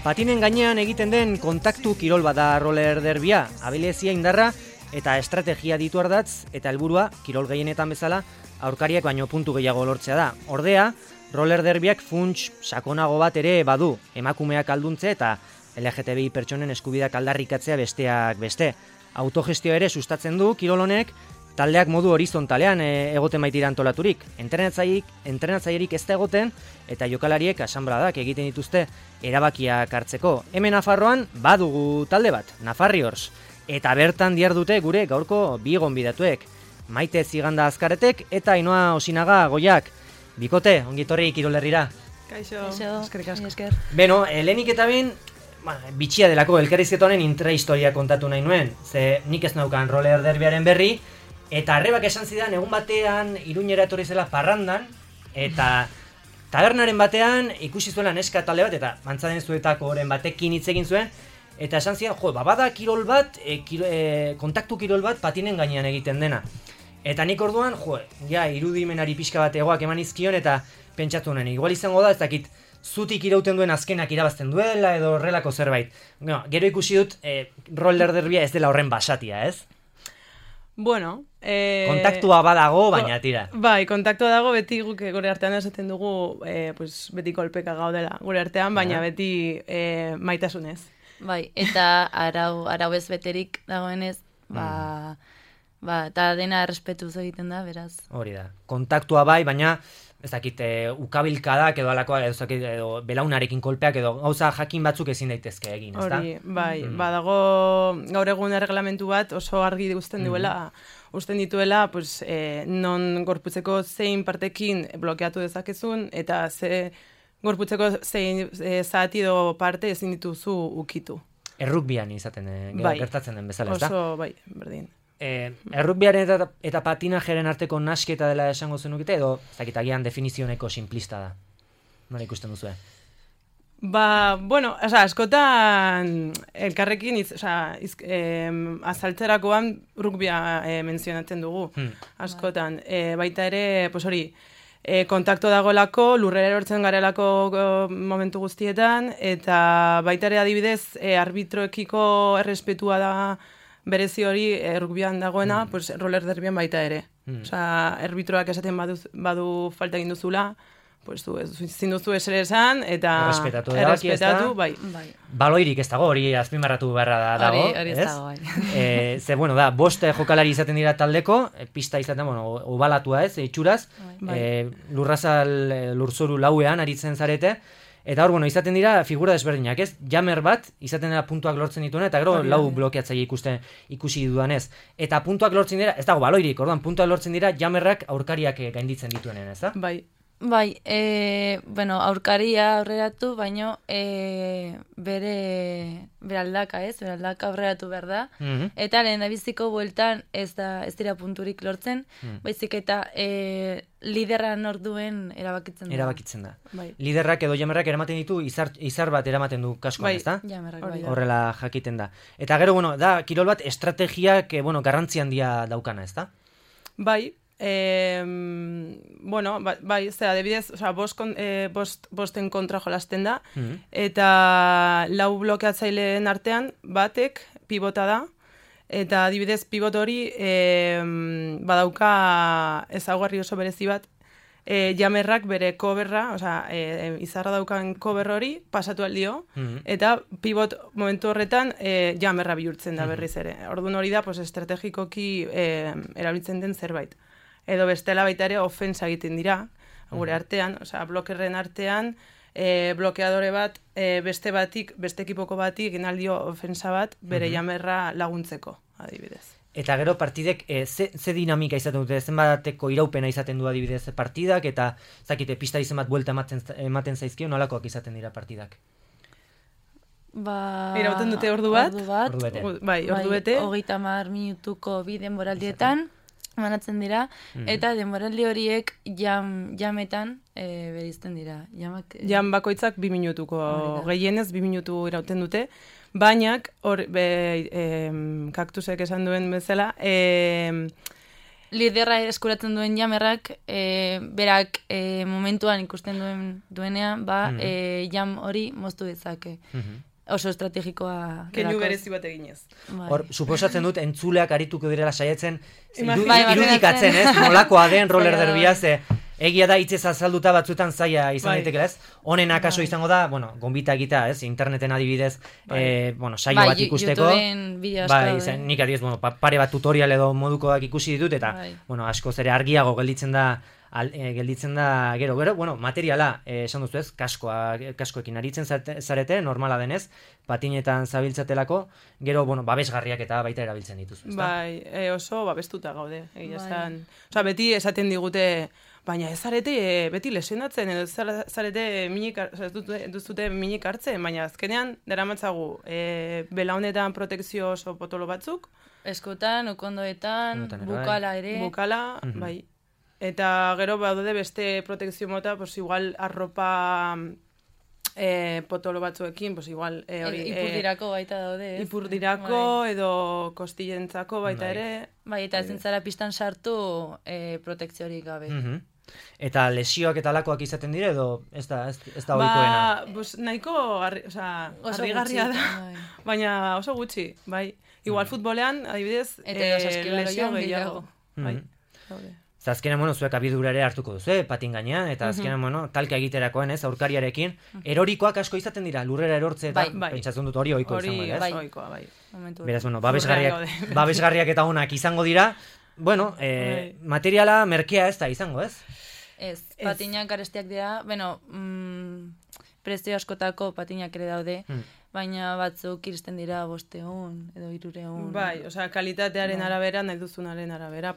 Patinen gainean egiten den kontaktu kirol bada roller derbia, abilezia indarra eta estrategia ditu ardatz, eta helburua kirol gehienetan bezala aurkariak baino puntu gehiago lortzea da. Ordea, roller derbiak funts sakonago bat ere badu, emakumeak alduntze eta LGTBI pertsonen eskubideak aldarrikatzea besteak beste. Autogestio ere sustatzen du kirol honek, taldeak modu horizontalean egoten baitira antolaturik. Entrenatzailerik ez da egoten eta jokalariek asanbladak egiten dituzte erabakiak hartzeko. Hemen Nafarroan badugu talde bat, Nafarriors, eta bertan dihardute gure gaurko bi gonbidatuek, Maite Ziganda Azkaretek eta Ainhoa Osinaga Goiak. Bikote, ongitorri kirol herrira. Kaixo, eskerrik asko. Beno, lehenik eta behin, bitxia delako elkarrizketa honen intrahistoria kontatu nahi nuen, ze nik ez naukan roller derbiaren berri, eta arrebak esan zidan egun batean Iruñera etorri zela parrandan, eta tabernaren batean ikusi zuela neska talde bat, eta Mantzaden Zuetako oren batekin hitz egin zuen, eta esan zidan, bada kirol bat, kontaktu kirol bat patinen gainean egiten dena. Eta nik orduan, irudimenari pixka bat egoak eman izkion, eta pentsatu honen, igual izango da, ez dakit, zutik irauten duen azkenak irabazten duela, edo horrelako zerbait. Gero ikusi dut, roller derbia ez dela horren basatia, ez? Bueno, kontaktua badago, baina tira. Bai, kontaktua dago, beti guk gure artean esaten dugu, beti kolpeka gaudela gure artean, baina beti maitasunez. Bai, eta arau ez beterik dagoenez, eta dena errespetuz egiten da, beraz. Hori da, kontaktua bai, baina ez dakit, ukabilkadak edo alakoa, edo belaunarekin kolpeak edo gauza jakin batzuk ezin daitezke egin, ez da? Hori, bai, badago gaur egun erreglamentu bat oso argi usten duela, usten dituela, non gorputzeko zein partekin blokeatu dezakezun, eta ze gorputzeko zein zati edo parte ezin dituzu ukitu. Errukbian izaten, gertatzen den bezala, ez da? Oso, bai, berdin. Errukbiaren eta patinajeren arteko nasketa dela esango zenukite, edo agian definizioneko simplista da? Nola ikusten duzue? Askotan elkarrekin azaltzerakoan rugbia menzionatzen dugu, askotan. Baita ere, kontakto dagoelako, lurrera erortzen garelako momentu guztietan, eta baita ere adibidez, arbitroekiko errespetua da berezi hori rugbian dagoena, roller derbian baita ere. Erbitroak esaten badu falta egin duzula, ezin duzu esere esan, eta errespetatu, bai. Baloirik ez dago, hori azpimarratu beharra dago, hori ez dago, bai. Ze, bost jokalari izaten dira taldeko, pista izaten, obalatua ez, itxuraz, lurzoru lauean aritzen zarete, eta hor, izaten dira figura desberdinak, ez? Jammer bat, izaten dira puntuak lortzen dituena, eta gero lau blokeatzaile ikusi dudanez. Eta puntuak lortzen dira, ez dago baloirik, orduan, puntuak lortzen dira jammerrak aurkariak gainditzen dituenen, ez da? Bai, aurkaria aurreratu, baino bere aldaka, ez? Bere aldaka aurreratu behar da. Eta lehen da biziko bueltan ez dira punturik lortzen, baizik eta liderra norduen erabakitzen da. Erabakitzen da. Liderrak edo jamerrak eramaten ditu, izar bat eramaten du kaskoan, ez da? Jamerrak, bai. Horrela jakiten da. Eta gero, da, kirol bat estrategiak, garrantzi handia daukana, ez da? Bai, adibidez, bosten kontra jolasten da, eta lau blokeatzaileen artean batek pibota da, eta adibidez pibot hori badauka ezaugarri oso berezi bat, jamerrak bere coverra, izarra daukan cover hori pasatu aldio, eta pibot momentu horretan jamerra bihurtzen da berriz ere. Orduan hori da, estrategikoki erabiltzen den zerbait. Edo bestela baita ere ofensa egiten dira, gure artean, blokerren artean, blokeadore bat, beste ekipoko batik egin aldio ofensa bat, bere jamerra laguntzeko, adibidez. Eta gero partidek, ze dinamika izaten dute, zenbateko iraupena izaten du adibidez partidak, eta zakite, pista izen bat buelta ematen zaizkio, nolakoak izaten dira partidak? Irauten dute ordu bat? Ordu bete. 30 minutuko bi denboraldietan, manatzen dira, eta denboraldi horiek jametan berizten dira. Jam bakoitzak 2 minutuko, gehienez 2 minutu irauten dute, baina kaktusek esan duen bezala, liderra eskuratzen duen jamerrak, berak momentuan ikusten duenean, jam hori moztu dezake. Oso estrategikoa. Keinu berezi bat eginez. Hor, suposatzen dut, entzuleak arituko direla saietzen, irudikatzen, ez? Nolakoa den roller derbia, ze egia da hitzez azalduta batzuetan zaila izan daiteke, ez? Honen akaso izango da, gonbita egitea, ez? Interneten adibidez, saio bat ikusteko. YouTubeen bideo asko. Nik adibidez, pare bat tutorial edo modukoak ikusi ditut, eta, askoz ere argiago gelditzen da gero, materiala, esan duzu ez, kaskoekin aritzen zarete, normala denez, patinetan zabiltzatelako, gero, babesgarriak eta baita erabiltzen dituzu, ezta? Bai, oso babestuta gaude, egia esan. Osa, beti esaten digute, baina ez zarete beti lesionatzen, edo ez zarete duzute minik hartzen, baina azkenean, daramatzagu, belaunetan protekzio oso potolo batzuk. Eskotan, ukondoetan, bukala ere. Bukala, bai. Eta gero badaude beste protekzio mota, igual arropa potolo batzuekin, igual ipurdirako baita daude. Ipurdirako edo kostillentzako baita ere. Bai, eta ezin zara pistan sartu protekziorik gabe. Eta lesioak eta lakoak izaten dire, edo ez da ohikoena? Nahiko harrigarria da, baina oso gutxi, bai. Igual futbolean, adibidez, lesio gehiago. Azkenean, zuek abidura ere hartuko duzu, patin gainean, eta azkenean, talka egiterakoen, ez, aurkariarekin, erorikoak asko izaten dira, lurrera erortze, eta pentsatzen dut hori ohiko izango, ez? Hori ohikoa, bai. Beraz, babesgarriak eta onak izango dira, materiala merkea ez da izango, ez? Ez, patinak garestiak dira, prezio askotako patinak ere daude, baina batzuk iristen dira 500 edo 300. Bai, kalitatearen arabera, nahi duzunaren arabera,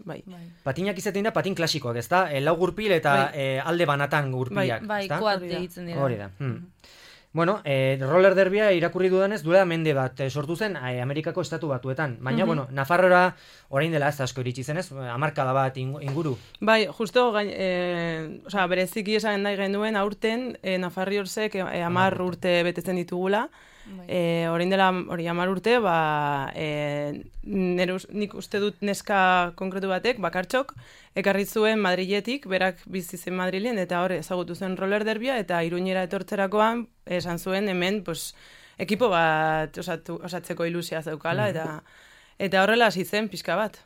bai. Patinak izaten dira patin klasikoak, ez da? Lau gurpil eta alde banatan gurpilak, bai, koat egitzen dira. Hori da. Roller derbia irakurri dudanez, duela mende bat sortu zen Amerikako estatu batuetan. Baina, Nafarroa orain dela ez asko iritsi zenez, hamarkada bat inguru. Bai, justo, bereziki esan nahi genuen aurten, Nafarriorsek 10 urte betetzen ditugula. Orain dela 10 urte, nik uste dut neska konkretu batek, bakartxok, ekarri zuen Madriletik, berak bizi zen Madrilen, eta hor ezagutu zen roller derbia, eta Iruñera etortzerakoan, esan zuen hemen, ekipo bat osatzeko ilusia zeukala, eta horrela hasi zen pixka bat.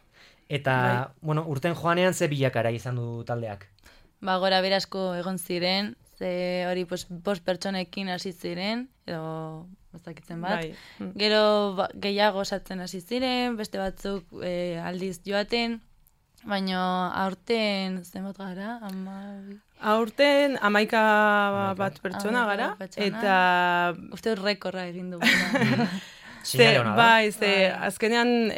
Eta, urten joanean ze bilakara izan du taldeak? Gora berasko egon ziren, ze hori 5 pertsonekin hasi ziren, edo bazakitzen bat. Gero gehiago osatzen hasi ziren, beste batzuk aldiz joaten, baina aurten zenbat gara? Aurten 11 bat pertsona gara, eta uste rekorra egin du. Bai, azkenean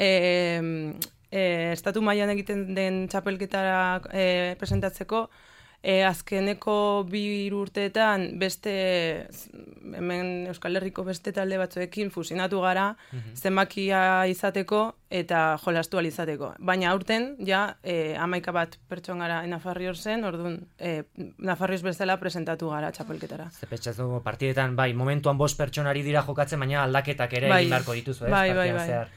estatu mailan egiten den txapelketara presentatzeko, azkeneko 2 urteetan hemen Euskal Herriko beste talde batzuekin fusionatu gara, zenbakia izateko eta jolastu ahal izateko. Baina aurten, 11 bat pertson gara Nafarriorsen, orduan Nafarriors bezala presentatu gara txapelketara. Zepetxazu partidetan, momentuan 5 pertsonari dira jokatzen, baina aldaketak ere egin beharko dituzu, ez?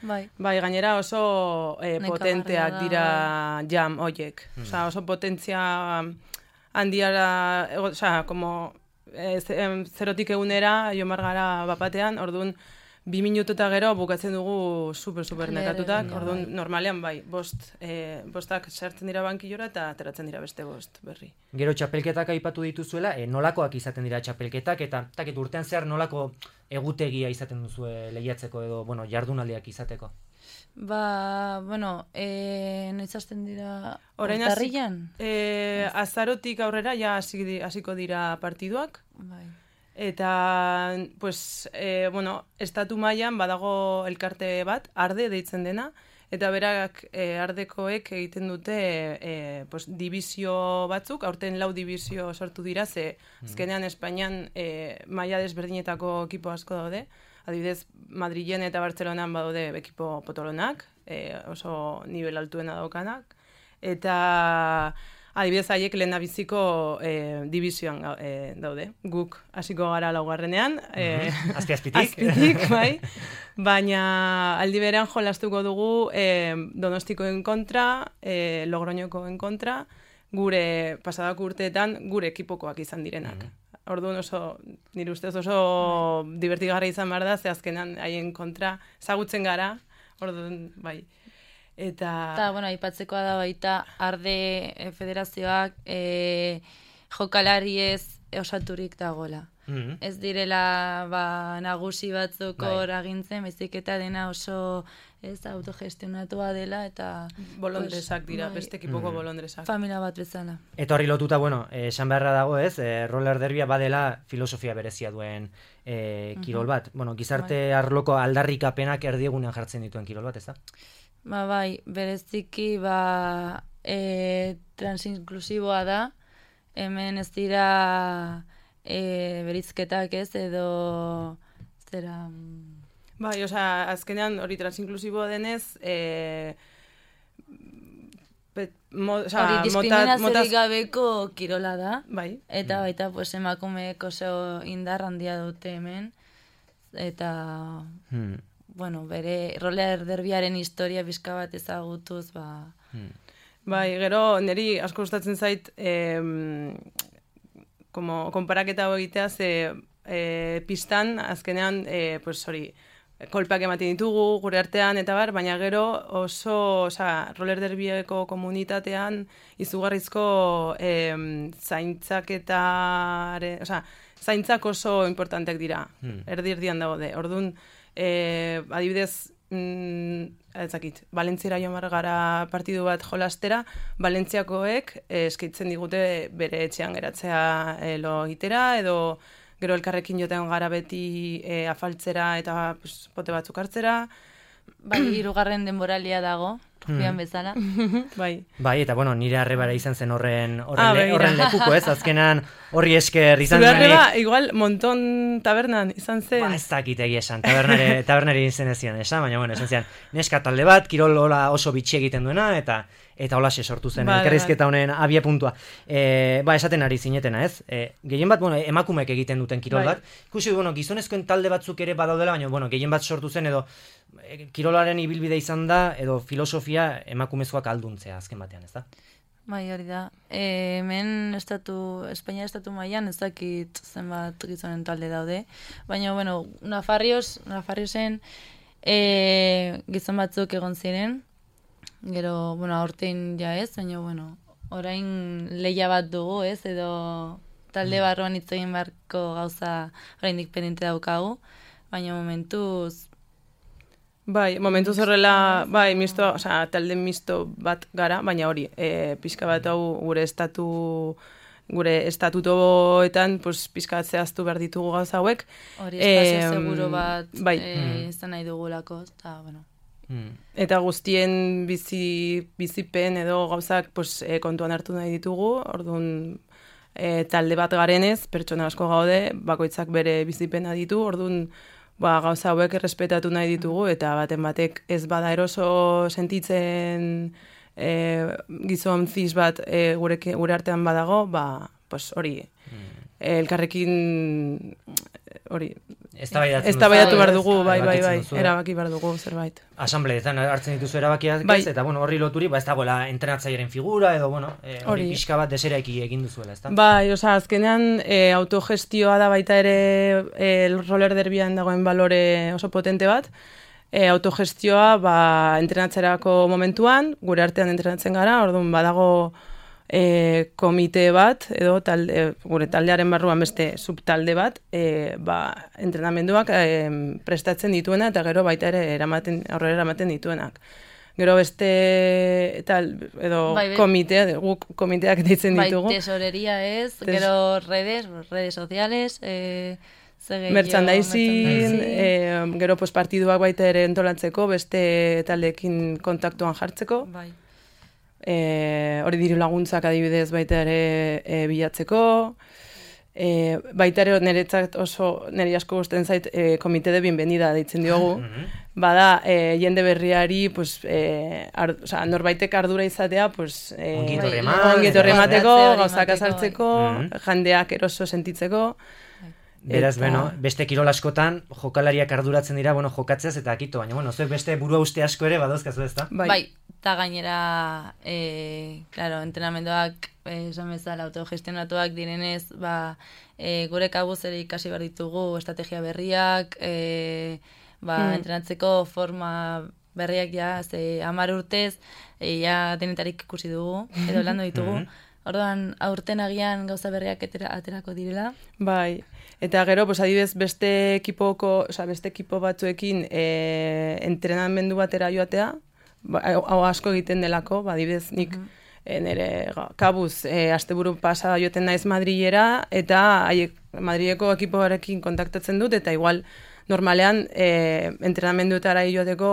Bai, gainera oso potenteak dira jam hoiek. Oso potentzia handiara, zerotik egunera, jomar gara bapatean, orduan 2 minutu eta gero bukatzen dugu super nekatutak, orduan normalean bostak sartzen dira bankillora eta ateratzen dira beste 5 berri. Gero txapelketak aipatu dituzuela, nolakoak izaten dira txapelketak, eta urtean zehar nolako egutegia izaten duzu lehiatzeko edo, jardunaldiak izateko? Noiz hasten dira urtarrilan? Azarotik aurrera hasiko dira partiduak. Eta, estatu mailan badago elkarte bat, arde deitzen dena, eta berak ardekoek egiten dute dibizio batzuk, aurten 4 dibizio sortu dira, ze azkenean Espainian maila desberdinetako ekipo asko daude, adibidez Madrilen eta Bartzelonan badaude ekipo potolonak, oso nivel altuena daukanak, eta adibidez haiek lehendabiziko divisioan daude. Guk hasiko gara laugarrenean. Azpitik, bai. Baina aldi berean jolastuko dugu Donostikoen kontra, Logroñokoen kontra, gure pasadako urteetan gure ekipokoak izan direnak. Orduan nire ustez oso divertigarra izan behar da, ze azkenan haien kontra ezagutzen gara, orduan, bai. Eta, bueno, aipatzekoa da baita, Arde federazioak jokalari ez osaturik dagoela. Ez direla nagusi batzuk hor agintzen, baizik eta dena oso autogestionatua dela eta bolondresak dira, beste ekipoko bolondresak. Familia bat bezala. Eta horri lotuta, bueno, esan beharra dago ez, roller derbia badela filosofia berezia duen kirol bat. Bueno, gizarte arloko aldarrikapenak erdiegunean jartzen dituen kirol bat, ez da? Bai, bereziki transinklusiboa da, hemen ez dira berizketak ez, edo zera... Bai, osea, azkenean hori transinklusiboa denez, hori diskriminaziorik gabeko kirola da, bai. Eta baita pues, emakumeek oso indar handia dute hemen, eta... Bueno, bere roller derbiaren historia bizka bat ezagutuz, Bai, gero, niri asko gustatzen zait, konparaketa egitea, pistan, azkenean, kolpeak ematen ditugu, gure artean, eta baina gero oso, roller derbieko komunitatean, izugarrizko zaintzak oso importantek dira, erdi-erdian daude. Orduan, adibidez, Valentziara joan gara partidu bat jolastera, Valentziakoek eskaitzen digute bere etxean geratzea lo egitera, edo gero elkarrekin joten gara beti afaltzera eta pote batzuk hartzera. Bai, 3. denboralia dago, rufian bezala. Bai, eta bueno, nire arrebara izan zen horren lekuko, ez? Azkenan horri esker izan zen. Zure arreba, igual, Monton tabernan izan zen. Ez dakit egia esan, tabernari izen ez zian esan, baina bueno, esan zian, neska talde bat, kirol oso bitxi egiten duena, eta holaxe sortu zen, elkarrizketa honen abia puntua. Esaten ari zinetena, ez? Gehien bat, bueno, emakumeek egiten duten kirol bat. Ikusi, bueno, gizonezkoen talde batzuk ere badaudela, baina, bueno, gehien bat sortu zen, edo kirolaren ibilbide izan da, edo filosofia emakumezkoak alduntzea, azken batean, ez da? Bai, hori da. Hemen Espainia estatu mailan ez dakit zenbat gizonen talde daude, baina, bueno, Nafarriosen gizon batzuk egon ziren, gero, bueno, aurten ja ez, baina, bueno, orain leia bat dugu, ez, edo talde barruan hitz egin beharko gauza oraindik pendiente daukagu, baina momentuz... Bai, momentuz horrela, bai, talde misto bat gara, baina hori, pixka bat hau gure estatutoetan, pixka bat zehaztu behar ditugu gauza hauek. Hori, espazio seguro bat izan nahi dugulako, eta, bueno... Eta guztien bizipen edo gauzak kontuan hartu nahi ditugu, orduan talde bat garenez, pertsona asko gaude, bakoitzak bere bizipena ditu, orduan gauza hauek errespetatu nahi ditugu, eta baten batek ez bada eroso sentitzen gizon zis bat gure artean badago, hori, elkarrekin hori... Eztabaidatu behar dugu, bai, erabaki behar dugu zerbait. Asambleetan hartzen dituzu erabakiak, eta bueno, horri loturi, ez dagoela entrenatzailearen figura, edo bueno, hori pixka bat deseraiki egin duzuela, ez da? Bai, azkenean autogestioa da baita ere roller derbian dagoen balore oso potente bat, autogestioa entrenatzerako momentuan, gure artean entrenatzen gara, orduan badago komite bat, edo gure taldearen barruan beste subtalde bat, entrenamenduak prestatzen dituena, eta gero baita ere aurrera eramaten dituenak. Gero beste komitea, guk komiteak deitzen ditugu. Bai, tesoreria ez, gero redes sociales, merchandising, gero partiduak baita ere entolatzeko, beste taldeekin kontaktuan jartzeko. Bai. Hori diru laguntzak adibidez baita ere bilatzeko, baita ere nire asko gusten zait komite de bienvenida deitzen diogu, bada jende berriari pues, norbaitek ardura izatea pues, ongi etorri emateko, gauzak azaltzeko, jendeak eroso sentitzeko. Beraz, beste kirol askotan jokalariak arduratzen dira, jokatzeaz eta akito, baina, zuek beste burua uste asko ere badauzkazu ezta? Bai, eta gainera, entrenamenduak, esan bezala, autogestionatuak direnez, gure kabuz ere ikasi behar ditugu estrategia berriak, entrenatzeko forma berriak ja, 10 urtez, denetarik ikusi dugu, edo landu ditugu. Orduan, aurten agian gauza berriak aterako direla. Bai, eta gero, adibidez, beste ekipo batzuekin entrenamendu batera joatea, hau asko egiten delako, adibidez, nik nire kabuz, asteburu pasa joten naiz Madrilera, eta Madrileko ekipoarekin kontaktatzen dut, eta igual, normalean, entrenamenduetara joateko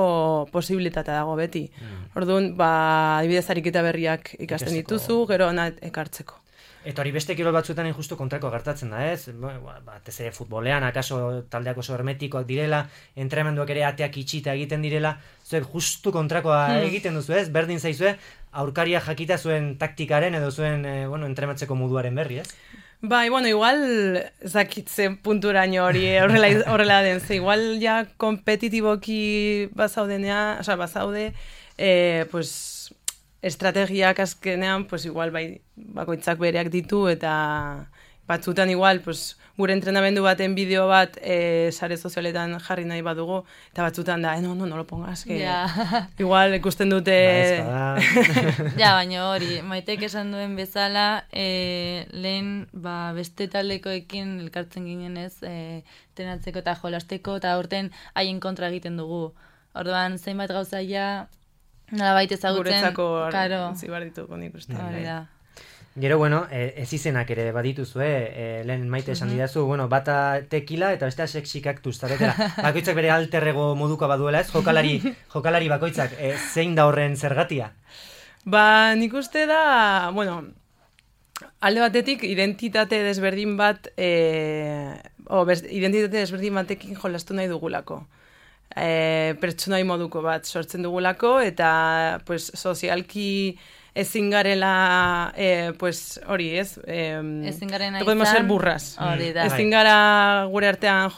posibilitatea dago beti. Orduan, adibidez ariketa berriak ikasten dituzu, gero ona ekartzeko. Eta hori beste kirol batzuetan justu kontrako gertatzen da, ez? Batez ere futbolean, akaso taldeak oso hermetikoak direla, entrenamenduak ere ateak itxita egiten direla, zuek justu kontrakoa egiten duzu, ez? Berdin zaizue, aurkaria jakita zuen taktikaren edo zuen entrenatzeko moduaren berri, ez? Bai, igual zakitzen punturaino hori horrela den, ze igual ja kompetitiboki bazaude, estrategiak azkenean, igual bakoitzak bereak ditu, eta batzutan igual, gure entrenamendu baten bideo bat sare sozialetan jarri nahi badugu, eta batzutan da, no lo pongas, que igual ikusten dute... Ja, baina hori, Maitek esan duen bezala, lehen beste taldekoekin elkartzen ginen ez, trenatzeko eta jolasteko, eta aurten haien kontra egiten dugu. Orduan, zein bat gauzaia, nolabait ezagutzen... Guretzako zibar dituko nik uste. Gero, ez izenak ere badituzue, lehen Maite esan didazu, bata tekila eta bestea sexy cactus, zaretela. Bakoitzak bere alterrego moduko baduela ez, jokalari bakoitzak, zein da horren zergatia? Nik uste da, alde batetik identitate desberdin bat, identitate desberdin batekin jolastu nahi dugulako. Pertsonai moduko bat sortzen dugulako, eta sozialki ezin garela, hori ez, ezin garena izan, podemos ser burras. Ezin gara gure artean...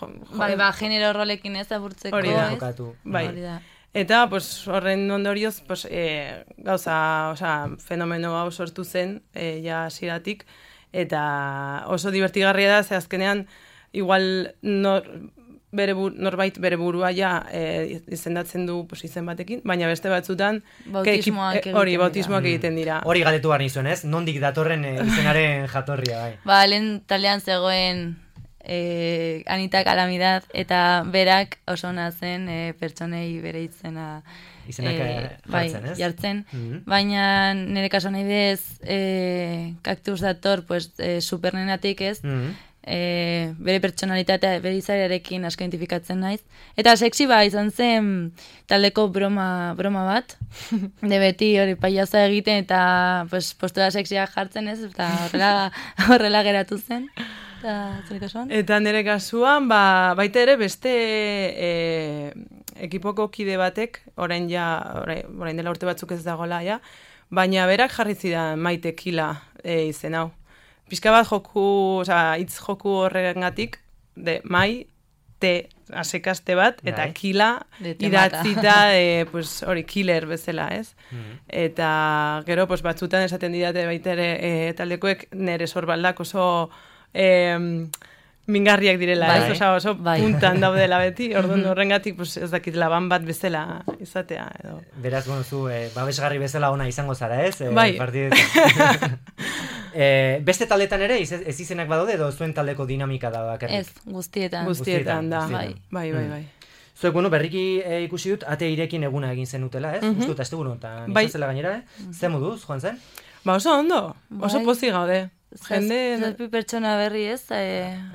genero rolekin ez aburtzeko, hori da, bai. Eta, horren ondorioz, fenomeno hau sortu zen, ja hasieratik, eta oso divertigarria da, ze azkenean, igual norbait bere burua izendatzen du izen batekin, baina beste batzutan bautismoak egiten dira. Hori galetu behar nizuen, ez? Nondik datorren izenaren jatorria, bai. Lehen taldean zegoen Anita Calamidad, eta berak oso nazen pertsonei bere izena jartzen, ez? Jartzen, baina nire kaso nahi bez Cactus dator supernenatik ez, bere pertsonalitatea, bere izarearekin asko identifikatzen naiz. Eta sexy izan zen taldeko broma bat, de beti hori paiaza egiten eta postura sexia jartzen ez, eta horrela geratu zen. Eta nire kasuan, baita ere beste ekipoko kide batek, orain dela urte batzuk ez dagoela, baina berak jarri zidan Maite Kila izen hau. Pizka bat hitz joku horrengatik, mai, te, asekaste bat, eta kila idatzita, hori, killer bezala, ez? Eta gero, batzutan esaten didate baita ere taldekoek nire sorbaldak oso mingarriak direla, ez? Oso puntan daudela beti, orduan horrengatik ez dakit laban bat bezala izatea. Beraz, zu, babesgarri bezala ona izango zara, ez? Bai. Beste taldetan ere, ez izenak badaude, edo zuen taldeko dinamika da bakarrik? Ez, guztietan. Guztietan da, bai. Zuek, berriki ikusi dut, ate irekin eguna egin zenutela, ez? Justu, eta ez dugu notan, izazela gainera, Ze moduz, joan zen? Oso ondo, oso pozik gaude. Zazpi pertsona berri ez,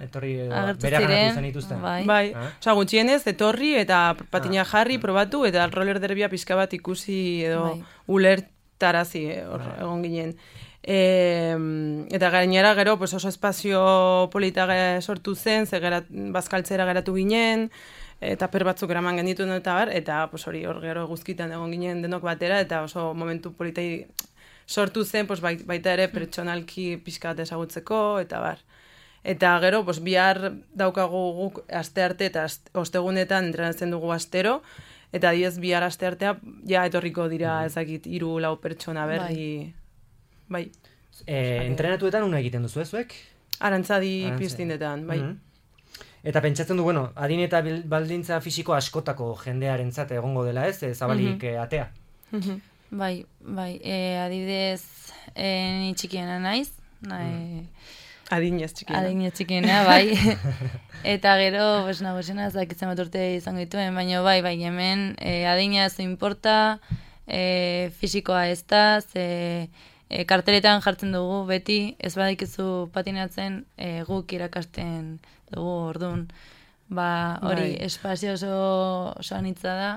etorri bere ganatu zen ituzten. Bai, gutxienez, etorri eta patina jarri, probatu, eta roller derbia pixka bat ikusi edo ulertarazi egon ginen. Eta gainera gero oso espazio polita sortu zen, bazkaltzera geratu ginen, taper batzuk eraman genituen eta bar, eta pues, hori hor gero guzkitan egon ginen denok batera, eta oso momentu politei sortu zen, pues, baita ere pertsonalki pixka bat ezagutzeko, eta bar. Eta gero, pues, bihar daukagu guk aste arte eta ostegunetan entrenatzen dugu astero, eta diez bihar aste artea, ja etorriko dira ezakit 3-4 pertsona berri. Bai. Entrenatuetan una egiten duzu zuek? Arantzadi piztindetan, bai. Eta pentsatzen du, bueno, adin eta baldintza fisiko askotako jendearentzat egongo dela ez, zabalik atea. Bai, adibidez, ni txikiena naiz, Adinez txikiena, bai. Eta gero, nagusena zakitzen bat urte izango dituen, baina bai, hemen adina ez importa, fisikoa ez da, karteletan jartzen dugu beti, ez badikizu patinatzen guk irakasten dugu orduan. Hori, espazio oso anitza da.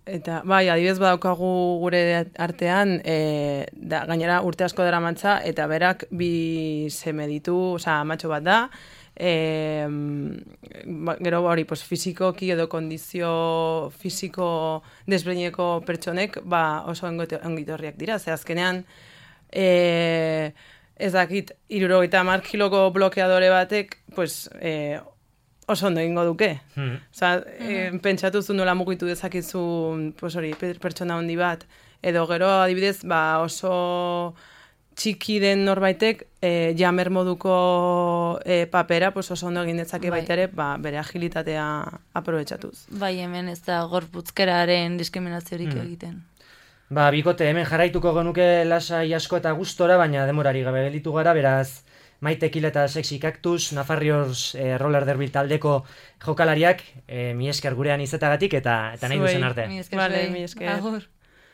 Eta, bai, adibidez badaukagu gure artean, gainera urte asko dara mantza, eta berak 2 seme ditu, amatxo bat da, gero hori, pues, fisikoki edo kondizio fisiko desberdineko pertsonek, oso ongitorriak dira, ze azkenean, ez dakit, 70 kiloko blokeadore batek, pues, oso ondo egingo duke. Pentsatuzu nola mugitu dezakizu, pues hori, pertsona handi bat, edo gero adibidez, oso txiki den norbaitek, jamer moduko papera, pues oso ondo egin dezake baita ere, bere agilitatea aprobetxatuz. Bai, hemen ez da gorputzkeraren diskriminaziorik egiten. Bikote, hemen jarraituko genuke lasai asko eta gustora, baina demorari gabe gelitu gara, beraz, Maite Kil eta Sexy Cactus, Nafarriors roller derby taldeko jokalariak, mi esker gurean izetagatik eta nahi duzen arte. Mi esker.